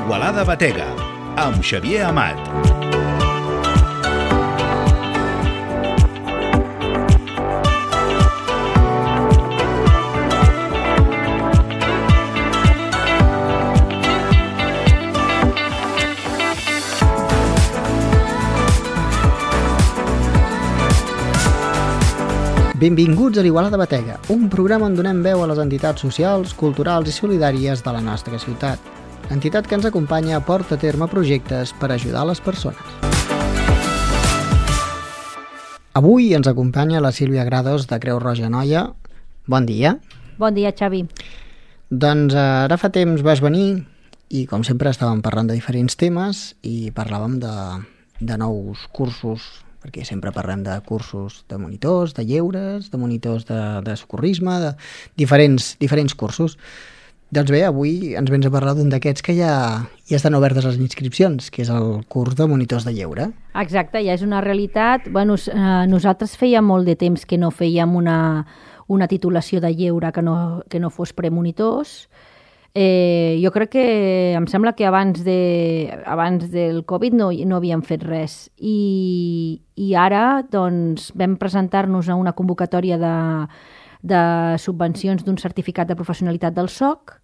Igualada Batega, amb Xavier Amat. Benvinguts a l'Igualada Batega, un programa on donem veu a les entitats socials, culturals i solidàries de la nostra ciutat. L'entitat que ens acompanya porta a terme projectes per ajudar les persones. Avui ens acompanya la Sílvia Grados de Creu Roja Noia. Bon dia. Bon dia, Xavi. Doncs ara fa temps vas venir i com sempre estàvem parlant de diferents temes i parlàvem de nous cursos, perquè sempre parlem de cursos de monitors, de lleures, de monitors de socorrisme, de diferents cursos. Doncs bé, avui ens vens a parlar d'un d'aquests que ja estan obertes les inscripcions, que és el curs de monitors de lleure. Exacte, ja és una realitat. Bueno, nosaltres feia molt de temps que no fèiem una titulació de lleure que no fos premonitors. Jo crec que em sembla que abans del Covid no havíem fet res i ara doncs, vam presentar-nos a una convocatòria de subvencions d'un certificat de professionalitat del SOC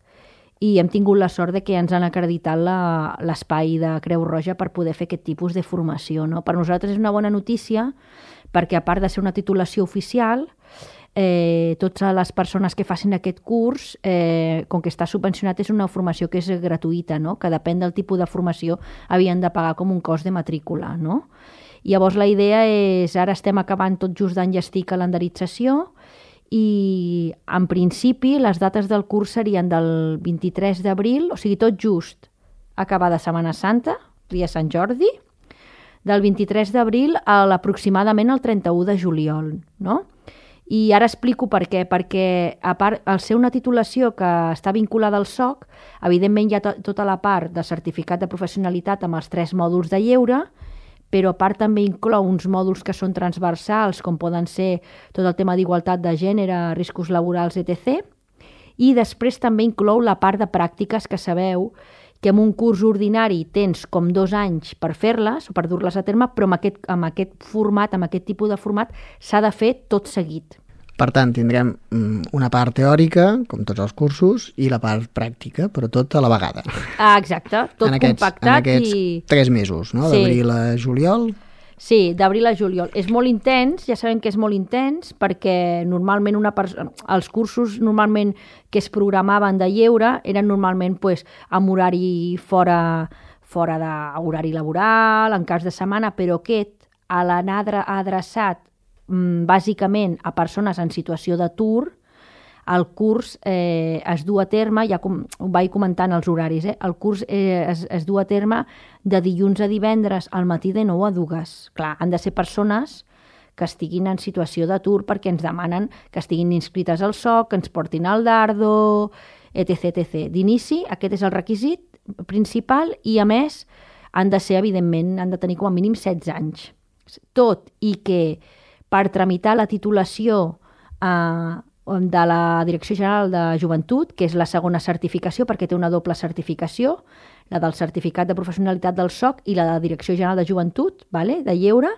i hem tingut la sort de que ens han acreditat l'espai de Creu Roja per poder fer aquest tipus de formació, no? Per nosaltres és una bona notícia perquè a part de ser una titulació oficial, totes les persones que facin aquest curs, com que està subvencionat, és una formació que és gratuïta, no? Que depèn del tipus de formació havien de pagar com un cost de matrícula, no? Llavors la idea és, ara estem acabant tot just d'enllestir calendarització i en principi les dates del curs serien del 23 d'abril, o sigui tot just acabada Setmana Santa, dia Sant Jordi, del 23 d'abril a aproximadament el 31 de juliol, no? I ara explico per què, perquè a part, al ser una titulació que està vinculada al SOC, evidentment hi ha tota la part de certificat de professionalitat amb els 3 mòduls de lleure, però a part també inclou uns mòduls que són transversals, com poden ser tot el tema d'igualtat de gènere, riscos laborals, etc. I després també inclou la part de pràctiques, que sabeu que en un curs ordinari tens com 2 anys per fer-les o per dur-les a terme, però amb aquest format, amb aquest tipus de format, s'ha de fer tot seguit. Per tant, tindrem una part teòrica, com tots els cursos, i la part pràctica, però tot a la vegada. Exacte, tot compactat. En aquests 3 mesos, no? D'abril a juliol. Sí, d'abril a juliol. És molt intens, ja sabem que és molt intens, perquè normalment els cursos normalment que es programaven de lleure eren normalment amb horari fora d'horari laboral, en cas de setmana, però aquest, a l'anar adreçat bàsicament a persones en situació d'atur, el curs es du a terme, ja ho vaig comentant els horaris, el curs es du a terme de dilluns a divendres al matí de 9 a 2. Clar, han de ser persones que estiguin en situació d'atur perquè ens demanen que estiguin inscrites al SOC, que ens portin al dardo, etc. D'inici, aquest és el requisit principal i, a més, han de ser, evidentment, han de tenir com a mínim 16 anys. Tot i que per tramitar la titulació de la Direcció General de Joventut, que és la segona certificació, perquè té una doble certificació, la del certificat de professionalitat del SOC i la de la Direcció General de Joventut, de lleure,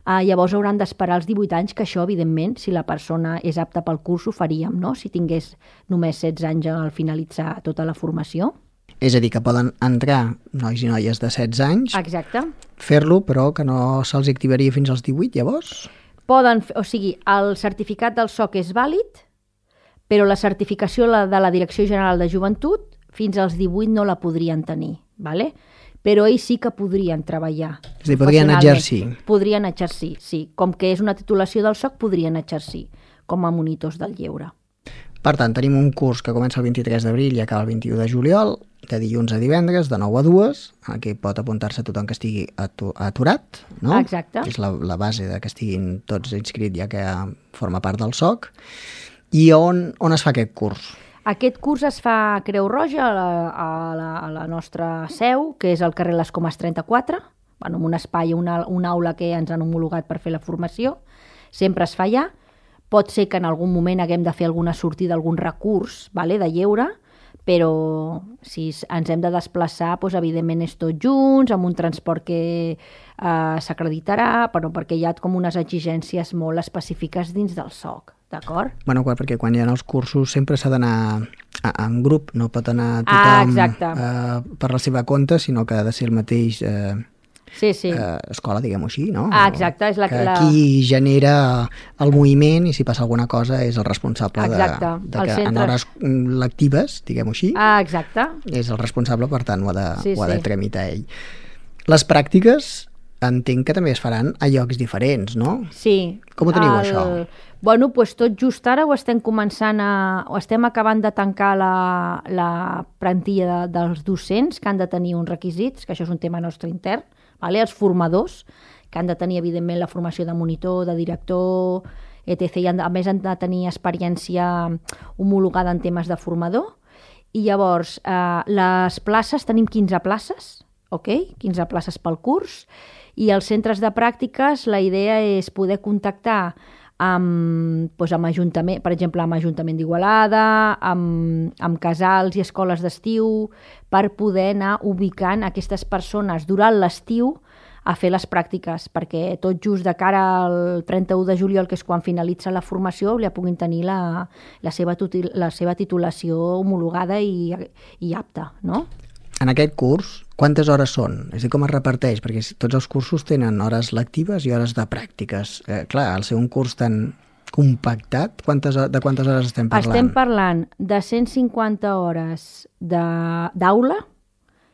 llavors hauran d'esperar els 18 anys, que això, evidentment, si la persona és apta pel curs, ho faríem, no? Si tingués només 16 anys al finalitzar tota la formació. És a dir, que poden entrar nois i noies de 16 anys, exacte, fer-lo, però que no se'ls activaria fins als 18, llavors? O sigui, el certificat del SOC és vàlid, però la certificació de la Direcció General de Joventut fins als 18 no la podrien tenir, ¿vale? Però ells sí que podrien treballar. És a dir, podrien exercir. Podrien exercir, sí. Com que és una titulació del SOC, podrien exercir com a monitors del lleure. Per tant, tenim un curs que comença el 23 d'abril i acaba el 21 de juliol, de dilluns a divendres, de 9 a 2, aquí pot apuntar-se tothom que estigui aturat, no? Exacte. És la base de que estiguin tots inscrits, ja que forma part del SOC. I on es fa aquest curs? Aquest curs es fa a Creu Roja, a la nostra seu, que és al carrer Les Comes 34, en un espai, una aula que ens han homologat per fer la formació. Sempre es fa allà. Pot ser que en algun moment haguem de fer alguna sortida, algun recurs de lleure, però si ens hem de desplaçar, doncs, evidentment és tots junts, amb un transport que s'acreditarà, però perquè hi ha com unes exigències molt específiques dins del SOC, d'acord? Bueno, perquè quan hi ha els cursos sempre s'ha d'anar en grup, no pot anar tothom per la seva compte, sinó que ha de ser el mateix escola, diguem-ho així, no? Exacte. És qui genera el moviment i si passa alguna cosa és el responsable de que en hores lectives, diguem-ho així, exacte. És el responsable, per tant ho ha de tramitar ell. Les pràctiques entenc que també es faran a llocs diferents, no? Sí. Com ho teniu, això? Bueno, doncs tot just ara ho estem començant o estem acabant de tancar la plantilla dels docents que han de tenir uns requisits, que això és un tema nostre intern, els formadors, que han de tenir, evidentment, la formació de monitor, de director, etc. I a més han de tenir experiència homologada en temes de formador. I llavors, les places, tenim 15 places, 15 places pel curs, i els centres de pràctiques, la idea és poder contactar amb Ajuntament, per exemple, amb Ajuntament d'Igualada, amb casals i escoles d'estiu, per poder anar ubicant aquestes persones durant l'estiu a fer les pràctiques, perquè tot just de cara al 31 de juliol, que és quan finalitza la formació, ja puguin tenir la seva titulació homologada i apta, no? En aquest curs, quantes hores són? És a dir, com es reparteix? Perquè tots els cursos tenen hores lectives i hores de pràctiques. Clar, al ser un curs tan compactat, de quantes hores estem parlant? Estem parlant de 150 hores d'aula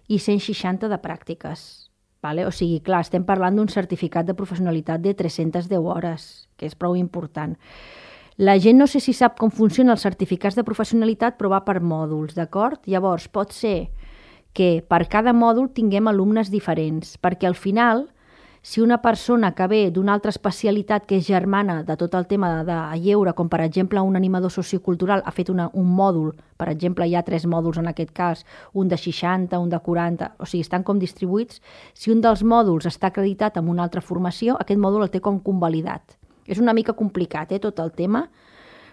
i 160 de pràctiques. Vale? O sigui, clar, estem parlant d'un certificat de professionalitat de 310 hores, que és prou important. La gent no sé si sap com funcionen els certificats de professionalitat, però va per mòduls, d'acord? Llavors, pot ser que per cada mòdul tinguem alumnes diferents, perquè al final, si una persona que ve d'una altra especialitat que és germana de tot el tema de lleure, com per exemple un animador sociocultural, ha fet un mòdul, per exemple hi ha 3 mòduls en aquest cas, un de 60, un de 40, o sigui, estan com distribuïts, si un dels mòduls està acreditat amb una altra formació, aquest mòdul el té com convalidat. És una mica complicat, tot el tema.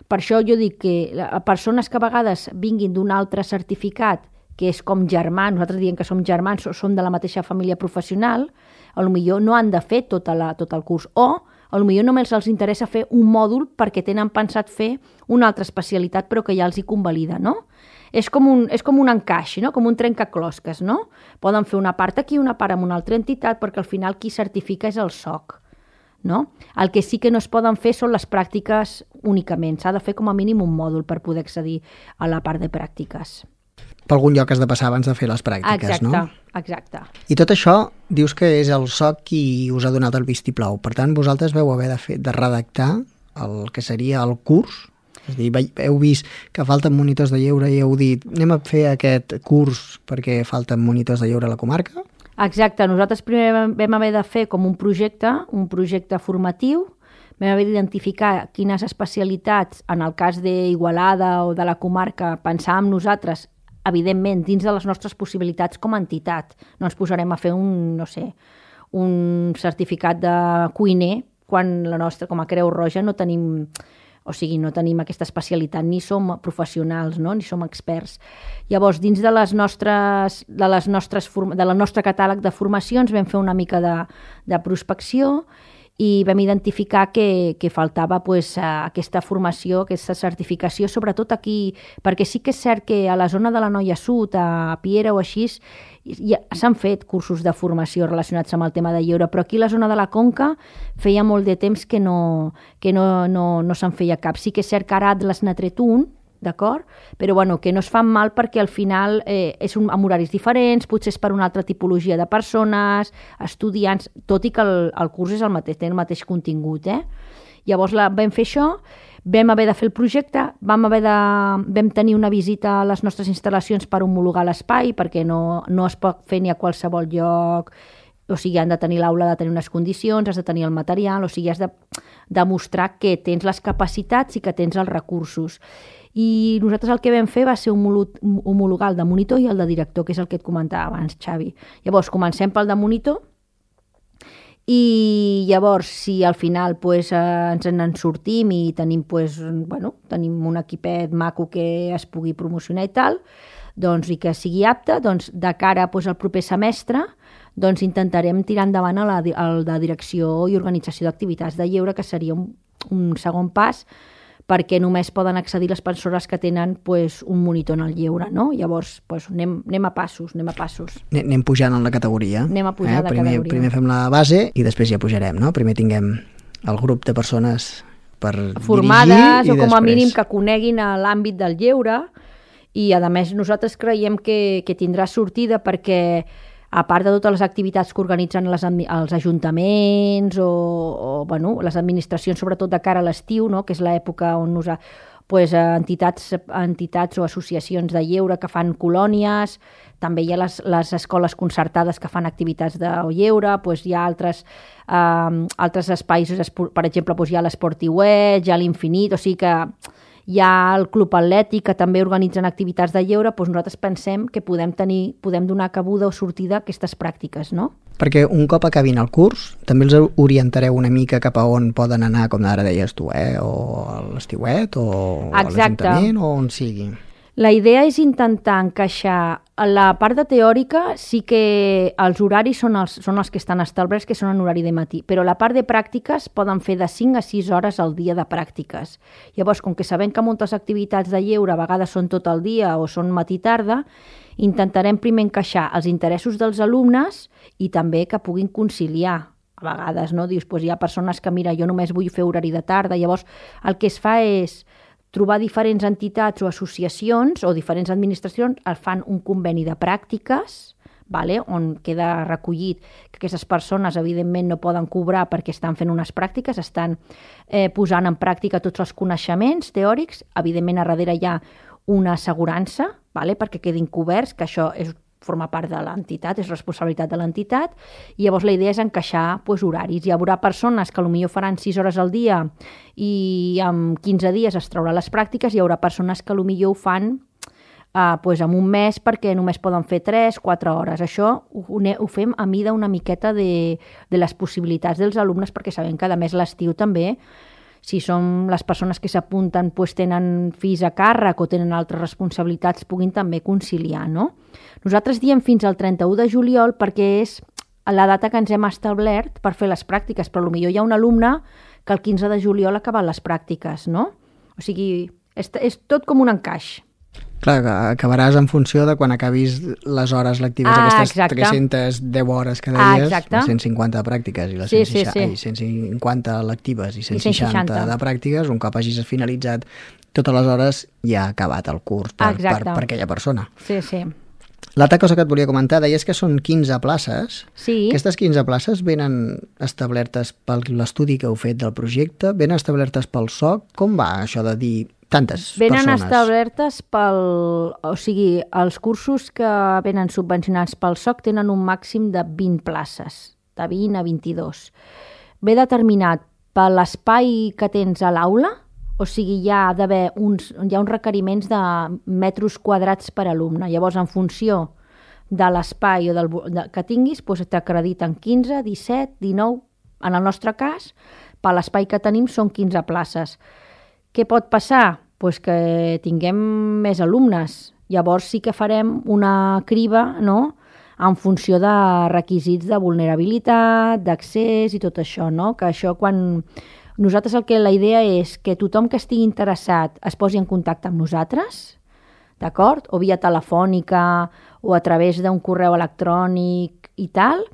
Per això jo dic que persones que a vegades vinguin d'un altre certificat que és com germans, nosaltres diem que som germans, som de la mateixa família professional, potser no han de fer tot el curs, o potser només els interessa fer un mòdul perquè tenen pensat fer una altra especialitat però que ja els hi convalida, no? És com un encaix, no? Com un trencaclosques, no? Poden fer una part aquí i una part amb una altra entitat perquè al final qui certifica és el SOC, no? El que sí que no es poden fer són les pràctiques únicament, s'ha de fer com a mínim un mòdul per poder accedir a la part de pràctiques. Per algun lloc has de passar abans de fer les pràctiques, no? Exacte. I tot això dius que és el SOC qui us ha donat el vistiplau. Per tant, vosaltres vau haver de redactar el que seria el curs. És a dir, heu vist que falten monitors de lleure i heu dit anem a fer aquest curs perquè falten monitors de lleure a la comarca? Exacte. Nosaltres primer vam haver de fer com un projecte formatiu. Vam haver d'identificar quines especialitats, en el cas d'Igualada o de la comarca, pensàvem nosaltres evidentment, dins de les nostres possibilitats com a entitat. No ens posarem a fer un certificat de cuiner quan la nostra, com a Creu Roja, no tenim aquesta especialitat, ni som professionals, no? Ni som experts. Llavors, dins del nostre catàleg de formacions vam fer una mica de prospecció i vam identificar que faltava aquesta formació, aquesta certificació, sobretot aquí, perquè sí que és cert que a la zona de la Noia Sud, a Piera o així, ja s'han fet cursos de formació relacionats amb el tema de lleure, però aquí a la zona de la Conca feia molt de temps que no se'n feia cap. Sí que és cert que ara Atlas n'ha tret un, d'acord? Però bueno, que no es fan mal perquè al final és amb horaris diferents, potser és per una altra tipologia de persones, estudiants, tot i que el curs és té el mateix contingut. Llavors vam fer això, vam haver de fer el projecte, vam tenir una visita a les nostres instal·lacions per homologar l'espai, perquè no es pot fer ni a qualsevol lloc, o sigui, han de tenir l'aula, ha de tenir unes condicions, has de tenir el material, o sigui, has de demostrar que tens les capacitats i que tens els recursos. I nosaltres el que vam fer va ser homologar el de monitor i el de director, que és el que et comentava abans, Xavi. Llavors, comencem pel de monitor i llavors, si al final ens en sortim i tenim un equipet maco que es pugui promocionar i tal, doncs, i que sigui apte, doncs, de cara doncs, al proper semestre, doncs, intentarem tirar endavant a la direcció i organització d'activitats de lleure, que seria un segon pas, perquè només poden accedir les persones que tenen pues, un monitor en el lleure, no? Llavors, pues, anem a passos. Anem pujant en la categoria. Anem a pujar de categoria. Primer fem la base i després ja pujarem, no? Primer tinguem el grup de persones per formades dirigir o com a després... mínim que coneguin l'àmbit del lleure, i a més nosaltres creiem que tindrà sortida perquè a part de totes les activitats que organitzen els ajuntaments o bueno, les administracions, sobretot de cara a l'estiu, no? Que és l'època on pues, entitats o associacions de lleure que fan colònies, també hi ha les escoles concertades que fan activitats de lleure, pues, hi ha altres espais, per exemple, pues, hi ha l'Esportiuet, hi ha l'Infinit, o sigui que hi ha el Club Atlètic, que també organitzen activitats de lleure, doncs nosaltres pensem que podem donar cabuda o sortida a aquestes pràctiques, no? Perquè un cop acabin el curs, també els orientareu una mica cap a on poden anar, com ara deies tu, o a l'Estiuet, o a l'Ajuntament, o on sigui. La idea és intentar encaixar la part de teòrica, sí que els horaris són els que estan establerts, que són en horari de matí, però la part de pràctiques poden fer de 5 a 6 hores al dia de pràctiques. Llavors, com que sabem que moltes activitats de lleure a vegades són tot el dia o són matí-tarda, intentarem primer encaixar els interessos dels alumnes i també que puguin conciliar. A vegades, no? Dius, doncs hi ha persones que, mira, jo només vull fer horari de tarda, llavors el que es fa és trobar diferents entitats o associacions o diferents administracions, fan un conveni de pràctiques, vale? On queda recollit que aquestes persones evidentment no poden cobrar perquè estan fent unes pràctiques, estan posant en pràctica tots els coneixements teòrics, evidentment a darrere hi ha una assegurança, vale? Perquè quedin coberts, que això forma part de l'entitat, és responsabilitat de l'entitat, i llavors la idea és encaixar pues, horaris. Hi haurà persones que potser faran 6 hores al dia i en 15 dies es traurà les pràctiques, i hi haurà persones que potser ho fan pues, en un mes perquè només poden fer 3-4 hores. Això ho fem a mida una miqueta de les possibilitats dels alumnes, perquè sabem que a més l'estiu també, si som les persones que s'apunten pues, tenen fills a càrrec o tenen altres responsabilitats, puguin també conciliar, no? Nosaltres diem fins al 31 de juliol perquè és la data que ens hem establert per fer les pràctiques, però potser hi ha un alumne que el 15 de juliol ha acabat les pràctiques, no? O sigui, és tot com un encaix. Clar, acabaràs en funció de quan acabis les hores lectives, aquestes 310 hores que deies, les 150 de pràctiques i les 150 lectives i 160 de pràctiques, un cop hagis finalitzat totes les hores ja ha acabat el curs per aquella persona. Sí, sí. L'altra cosa que et volia comentar, deies que són 15 places. Sí. Aquestes 15 places venen establertes per l'estudi que heu fet del projecte, venen establertes pel SOC. Com va això de dir tantes persones? Venen establertes o sigui, els cursos que venen subvencionats pel SOC tenen un màxim de 20 places, de 20 a 22. Ve determinat per l'espai que tens a l'aula, o sigui, hi ha uns requeriments de metres quadrats per alumne. Llavors, en funció de l'espai que tinguis, doncs t'acrediten 15, 17, 19. En el nostre cas, per l'espai que tenim són 15 places. Què pot passar? Pues que tinguem més alumnes. Llavors sí que farem una criba, no?, en funció de requisits de vulnerabilitat, d'accés i tot això, no? Que això quan... Nosaltres la idea és que tothom que estigui interessat es posi en contacte amb nosaltres, d'acord? O via telefònica o a través d'un correu electrònic i tal.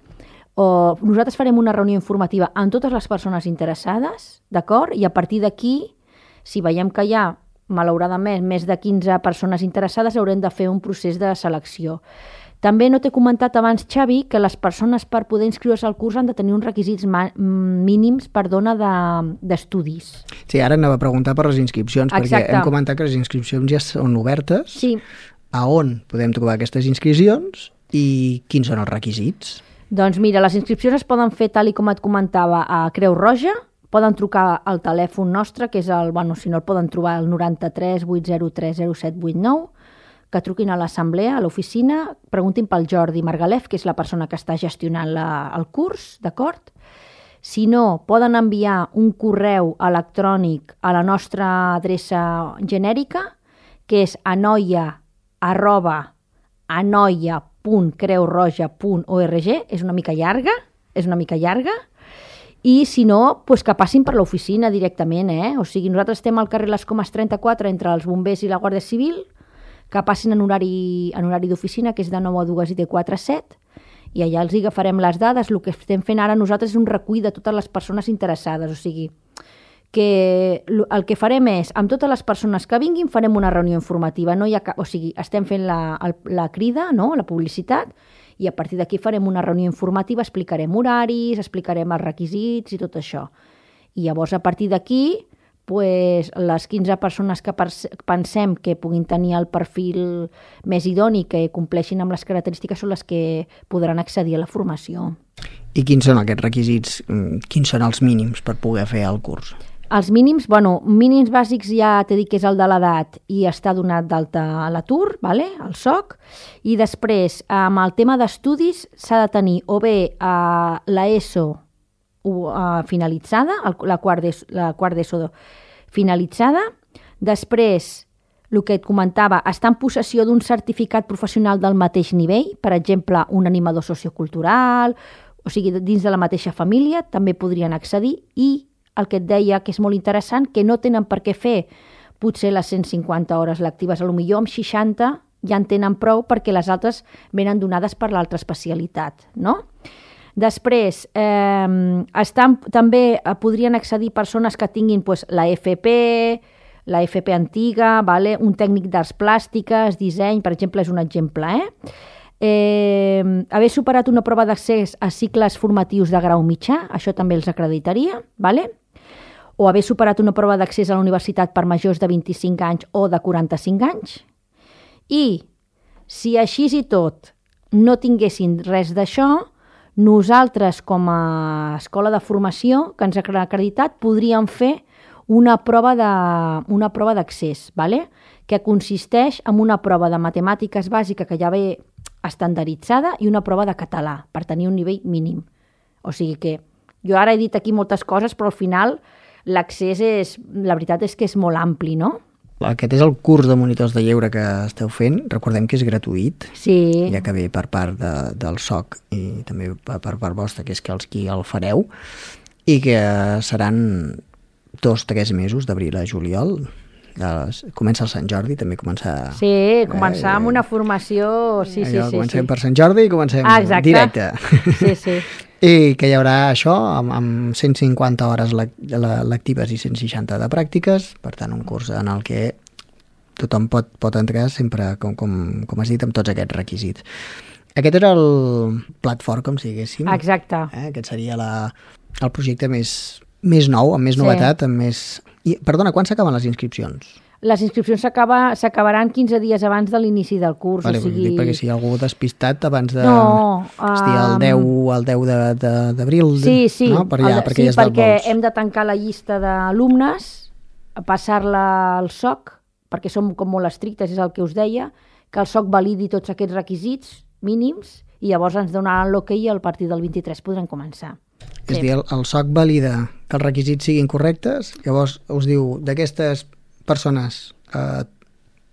O nosaltres farem una reunió informativa amb totes les persones interessades, d'acord? I a partir d'aquí, si veiem que hi ha, malauradament, més de 15 persones interessades, haurem de fer un procés de selecció. També no t'he comentat abans, Xavi, que les persones per poder inscriure's al curs han de tenir uns requisits mínims d'estudis. Sí, ara anava a preguntar per les inscripcions, perquè hem comentat que les inscripcions ja són obertes. Sí. A on podem trobar aquestes inscripcions i quins són els requisits? Doncs mira, les inscripcions es poden fer, tal com et comentava, a Creu Roja, poden trucar al telèfon nostre, que és si no el poden trobar al 93 803 0789, que truquin a l'assemblea, a l'oficina, preguntin pel Jordi Margalef, que és la persona que està gestionant el curs, d'acord? Si no, poden enviar un correu electrònic a la nostra adreça genèrica, que és anoia, anoia.creuroja.org, és una mica llarga, i si no, doncs que passin per l'oficina directament, O sigui, nosaltres estem al carrer Les Comes 34 entre els bombers i la Guàrdia Civil, que passin en horari d'oficina, que és de 9 a 2 i de 4 a 7, i allà els agafarem les dades. El que estem fent ara nosaltres és un recull de totes les persones interessades, o sigui, que el que farem és, amb totes les persones que vinguin, farem una reunió informativa, no hi ha o sigui, estem fent la crida, no? La publicitat, i a partir d'aquí farem una reunió informativa, explicarem horaris, explicarem els requisits i tot això. I llavors, a partir d'aquí, pues, les 15 persones que pensem que puguin tenir el perfil més idoni, que compleixin amb les característiques, són les que podran accedir a la formació. I quins són aquests requisits? Quins són els mínims per poder fer el curs? Els mínims, mínims bàsics ja t'he dit que és el de l'edat i està donat d'alta a l'atur, el SOC, i després, amb el tema d'estudis, s'ha de tenir o bé l'ESO finalitzada, la quart d'ESO finalitzada, després, el que et comentava, estar en possessió d'un certificat professional del mateix nivell, per exemple, un animador sociocultural, o sigui, dins de la mateixa família, també podrien accedir, i el que et deia, que és molt interessant, que no tenen per què fer potser les 150 hores lectives, potser amb 60 ja en tenen prou perquè les altres venen donades per l'altra especialitat, no? Després, també podrien accedir persones que tinguin la FP antiga, un tècnic d'arts plàstiques, disseny, per exemple, és un exemple, haver superat una prova d'accés a cicles formatius de grau mitjà, això també els acreditaria, o haver superat una prova d'accés a la universitat per majors de 25 anys o de 45 anys. I si així i tot no tinguessin res d'això, nosaltres com a escola de formació que ens ha acreditat podríem fer una prova d'accés, que consisteix en una prova de matemàtiques bàsica que ja ve estandarditzada i una prova de català per tenir un nivell mínim. O sigui que jo ara he dit aquí moltes coses, però al final l'accés la veritat és que és molt ampli, no? Aquest és el curs de monitors de lleure que esteu fent. Recordem que és gratuït, sí. Ja que ve per part del SOC i també per part vostra, que és que els qui el fareu, i que seran 2-3 mesos, d'abril a juliol. Comença el Sant Jordi, també començar... Sí, començar amb una formació... Sí. Comencem per Sant Jordi i comencem directe. Sí. I que hi haurà això amb 150 hores lectives i 160 de pràctiques, per tant un curs en el que tothom pot entrar sempre, com has dit, amb tots aquests requisits. Aquest era el plat fort, com si diguéssim. Exacte. Aquest seria el projecte més nou, amb més novetat, amb més... Perdona, quan s'acaben les inscripcions? Les inscripcions s'acabaran 15 dies abans de l'inici del curs. Vale, o sigui... perquè si hi ha algú despistat abans de... No. El 10 d'abril, sí, no? Perquè hem de tancar la llista d'alumnes, passar-la al SOC, perquè som com molt estrictes, és el que us deia, que el SOC validi tots aquests requisits mínims i llavors ens donaran l'ok i a partir del 23 podrem començar. És a dir, el SOC valida que els requisits siguin correctes, llavors us diu d'aquestes persones,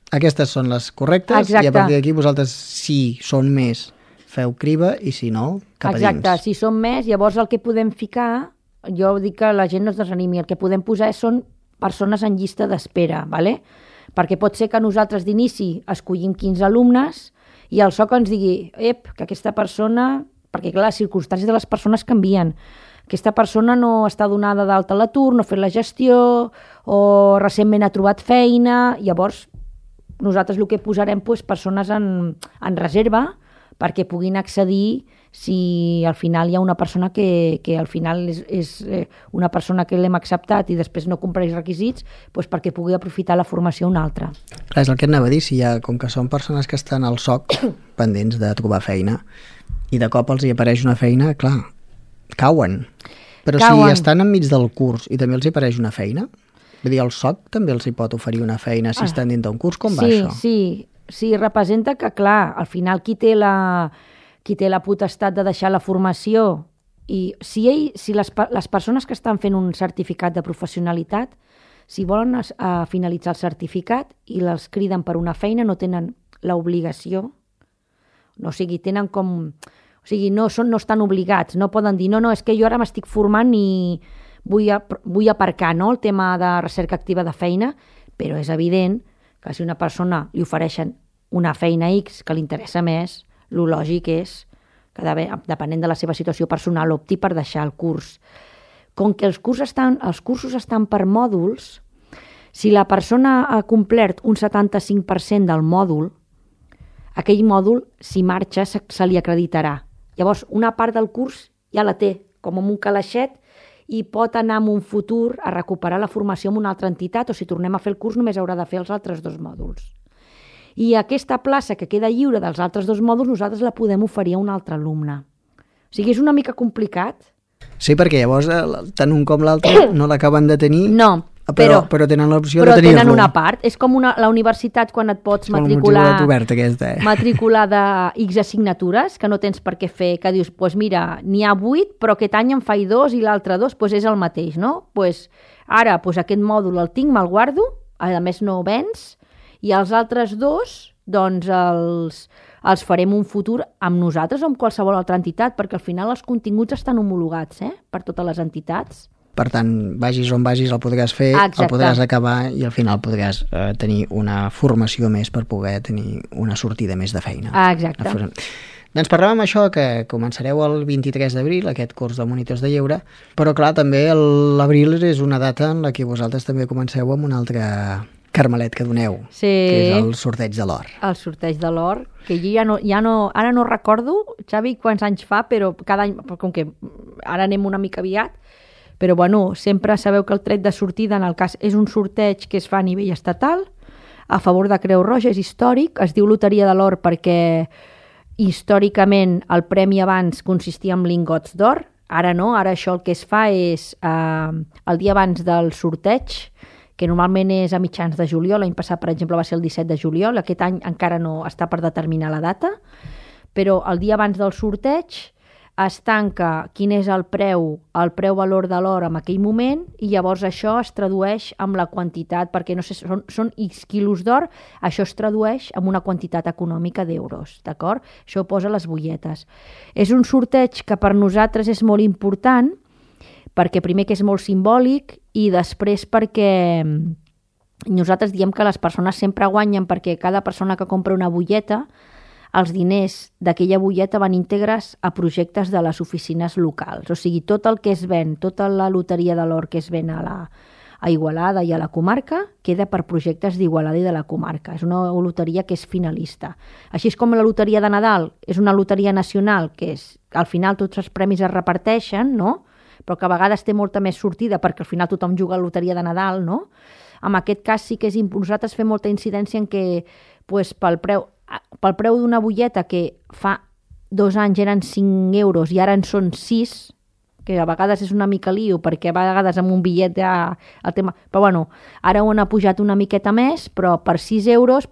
aquestes són les correctes. Exacte. I a partir d'aquí vosaltres, si són més, feu criba i si no, cap a dins. Exacte, si són més, llavors el que podem ficar, jo dic que la gent no es desanimi, el que podem posar són persones en llista d'espera, perquè pot ser que nosaltres d'inici escollim 15 alumnes i el SOC ens digui que aquesta persona, perquè clar, les circumstàncies de les persones canvien, aquesta persona no està donada d'alta a l'atur, no ha fet la gestió o recentment ha trobat feina, llavors nosaltres el que posarem persones en reserva perquè puguin accedir si al final hi ha una persona que al final és una persona que l'hem acceptat i després no compleix requisits, perquè pugui aprofitar la formació una altra. Clar, és el que et anava a dir, com que són persones que estan al SOC pendents de trobar feina i de cop els hi apareix una feina, clar, cauen. Però si estan enmig del curs i també els hi apareix una feina, vull dir, el SOC també els hi pot oferir una feina si estan dins d'un curs, com va això? Sí, representa que, clar, al final qui té la potestat de deixar la formació i si les persones que estan fent un certificat de professionalitat, si volen finalitzar el certificat i les criden per una feina, no tenen l'obligació, no, o sigui, tenen com... O sigui, no estan obligats, no poden dir, no, és que jo ara m'estic formant i vull aparcar, no?, el tema de recerca activa de feina, però és evident que si una persona li ofereixen una feina X que li interessa més, lo lògic és que, depenent de la seva situació personal, opti per deixar el curs. Com que els cursos estan per mòduls, si la persona ha complert un 75% del mòdul, aquell mòdul, si marxa, se li acreditarà. Llavors, una part del curs ja la té, com en un calaixet, i pot anar en un futur a recuperar la formació en una altra entitat, o si tornem a fer el curs només haurà de fer els altres 2 mòduls. I aquesta plaça que queda lliure dels altres 2 mòduls nosaltres la podem oferir a un altre alumne. O sigui, és una mica complicat. Sí, perquè llavors tant un com l'altre no l'acaben de tenir, no, però tenen l'opció de tenir-lo. Però tenen una part. És com la universitat quan et pots matricular de X assignatures, que no tens per què fer, que dius, doncs mira, n'hi ha 8, però aquest any en faig 2 i l'altre 2, doncs és el mateix, no? Ara aquest mòdul el tinc, me'l guardo, a més no vens, i els altres 2, doncs els farem un futur amb nosaltres o amb qualsevol altra entitat, perquè al final els continguts estan homologats per totes les entitats. Per tant, vagis on vagis el podràs fer, el podràs acabar i al final podràs tenir una formació més per poder tenir una sortida més de feina. Exacte. Doncs parlàvem això, que començareu el 23 d'abril, aquest curs de monitors de lleure, però clar, també l'abril és una data en la que vosaltres també comenceu amb un altre carmelet que doneu, sí, que és el sorteig de l'or. El sorteig de l'or, que jo ara no recordo, Xavi, quants anys fa, però cada any, com que ara anem una mica aviat, però bueno, sempre sabeu que el tret de sortida en el cas és un sorteig que es fa a nivell estatal, a favor de Creu Roja, és històric, es diu Loteria de l'Or perquè històricament el premi abans consistia en lingots d'or, ara no, ara això el que es fa és el dia abans del sorteig, que normalment és a mitjans de juliol, l'any passat, per exemple, va ser el 17 de juliol, aquest any encara no està per determinar la data, però el dia abans del sorteig es tanca quin és el preu valor de l'or en aquell moment i llavors això es tradueix amb la quantitat, perquè no sé, són X quilos d'or, això es tradueix amb una quantitat econòmica d'euros, d'acord? Això ho posa a les butlletes. És un sorteig que per nosaltres és molt important, perquè primer que és molt simbòlic i després perquè nosaltres diem que les persones sempre guanyen perquè cada persona que compra una butlleta els diners d'aquella butlleta van íntegres a projectes de les oficines locals. O sigui, tot el que es ven, tota la loteria de l'or que es ven a Igualada i a la comarca, queda per projectes d'Igualada i de la comarca. És una loteria que és finalista. Així és com la loteria de Nadal és una loteria nacional, que al final tots els premis es reparteixen, no? Però que a vegades té molta més sortida perquè al final tothom juga a la loteria de Nadal, no? En aquest cas sí que nosaltres fem molta incidència en què pel preu d'una butlleta que fa 2 anys eren 5 euros i ara en són 6, que a vegades és una mica lío perquè a vegades amb un bitllet ja el tema... Però bueno, ara ho han pujat una miqueta més, però per 6 euros,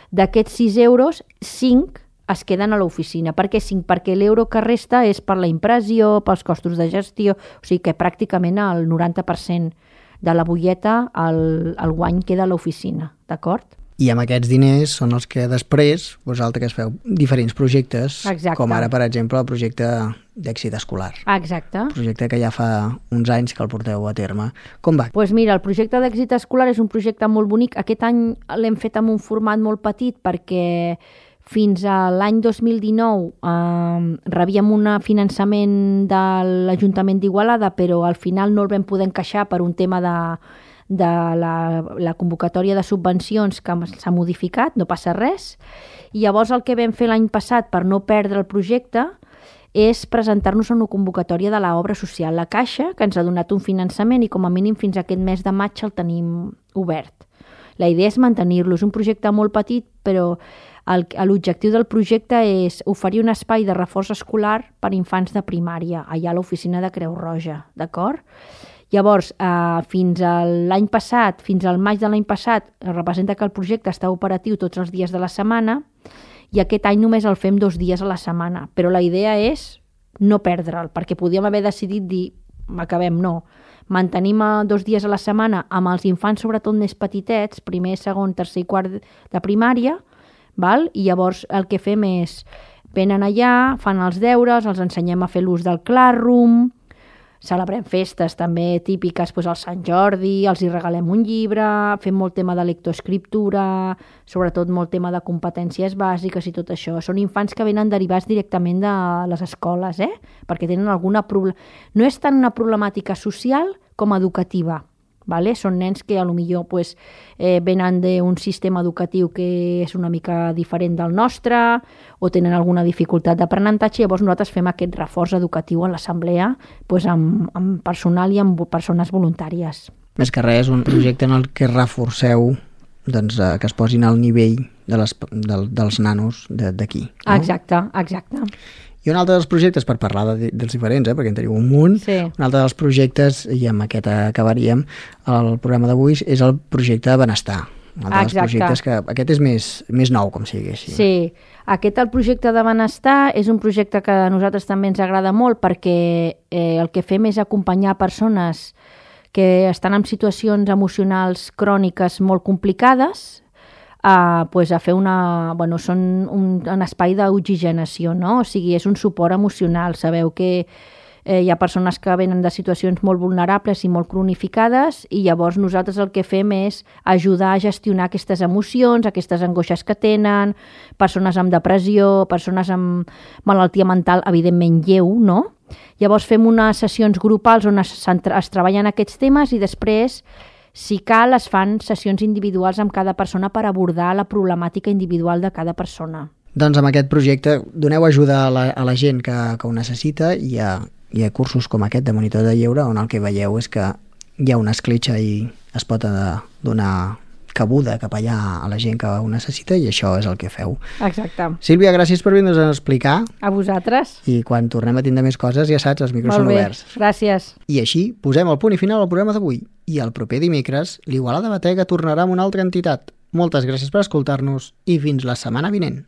d'aquests 6 euros, 5 es queden a l'oficina. Per què 5? Perquè l'euro que resta és per la impressió, pels costos de gestió, o sigui que pràcticament el 90% de la butlleta el guany queda a l'oficina, d'acord? I amb aquests diners són els que després vosaltres feu diferents projectes, exacte, com ara, per exemple, el projecte d'èxit escolar. Exacte. Un projecte que ja fa uns anys que el porteu a terme. Com va? Doncs mira, el projecte d'èxit escolar és un projecte molt bonic. Aquest any l'hem fet amb un format molt petit perquè fins a l'any 2019 rebíem un finançament de l'Ajuntament d'Igualada, però al final no el vam poder encaixar per un tema de la convocatòria de subvencions que s'ha modificat, no passa res. I llavors el que vam fer l'any passat per no perdre el projecte és presentar-nos a una convocatòria de l'obra social La Caixa, que ens ha donat un finançament i com a mínim fins aquest mes de maig el tenim obert. La idea és mantenir-lo. És un projecte molt petit, però l'objectiu del projecte és oferir un espai de reforç escolar per a infants de primària, allà a l'oficina de Creu Roja, d'acord? Llavors, fins l'any passat, fins al maig de l'any passat, representa que el projecte està operatiu tots els dies de la setmana i aquest any només el fem 2 dies a la setmana. Però la idea és no perdre'l, perquè podíem haver decidit dir, acabem, no. Mantenim 2 dies a la setmana amb els infants, sobretot més petitets, primer, segon, tercer i quart de primària, val? I llavors el que fem és, venen allà, fan els deures, els ensenyem a fer l'ús del Classroom, celebrem festes també típiques, doncs, al Sant Jordi, els hi regalem un llibre, fem molt tema de lectoescriptura, sobretot molt tema de competències bàsiques i tot això. Són infants que venen derivats directament de les escoles, perquè tenen alguna no és tant una problemàtica social com educativa. Vale? Són nens que potser venen d'un sistema educatiu que és una mica diferent del nostre o tenen alguna dificultat d'aprenentatge, llavors nosaltres fem aquest reforç educatiu en l'assemblea amb personal i amb persones voluntàries. Més que res, un projecte en el que reforceu que es posin al nivell dels nanos d'aquí. No? Exacte. I un altre dels projectes, per parlar dels diferents, perquè en teniu un munt, un altre dels projectes, i amb aquest acabaríem el programa d'avui, és el projecte Benestar. Un altre dels projectes que aquest és més nou, com sigui així. Sí, el projecte de Benestar és un projecte que a nosaltres també ens agrada molt perquè el que fem és acompanyar persones que estan en situacions emocionals cròniques molt complicades, a fer són un espai d'oxigenació, no? O sigui, és un suport emocional. Sabeu que hi ha persones que venen de situacions molt vulnerables i molt cronificades i llavors nosaltres el que fem és ajudar a gestionar aquestes emocions, aquestes angoixes que tenen, persones amb depressió, persones amb malaltia mental, evidentment lleu, no? Llavors fem unes sessions grupals on es treballen aquests temes i després, si cal, es fan sessions individuals amb cada persona per abordar la problemàtica individual de cada persona. Doncs amb aquest projecte doneu ajuda a la gent que ho necessita i hi ha cursos com aquest de monitor de lleure on el que veieu és que hi ha una escletxa i es pot donar cabuda cap allà a la gent que ho necessita i això és el que feu. Exacte. Sílvia, gràcies per vindre's a explicar. A vosaltres. I quan tornem a tindre més coses, ja saps, els micros són oberts. Molt bé, gràcies. I així posem el punt i final al programa d'avui. I el proper dimecres, l'Igualada Batega tornarà amb una altra entitat. Moltes gràcies per escoltar-nos i fins la setmana vinent.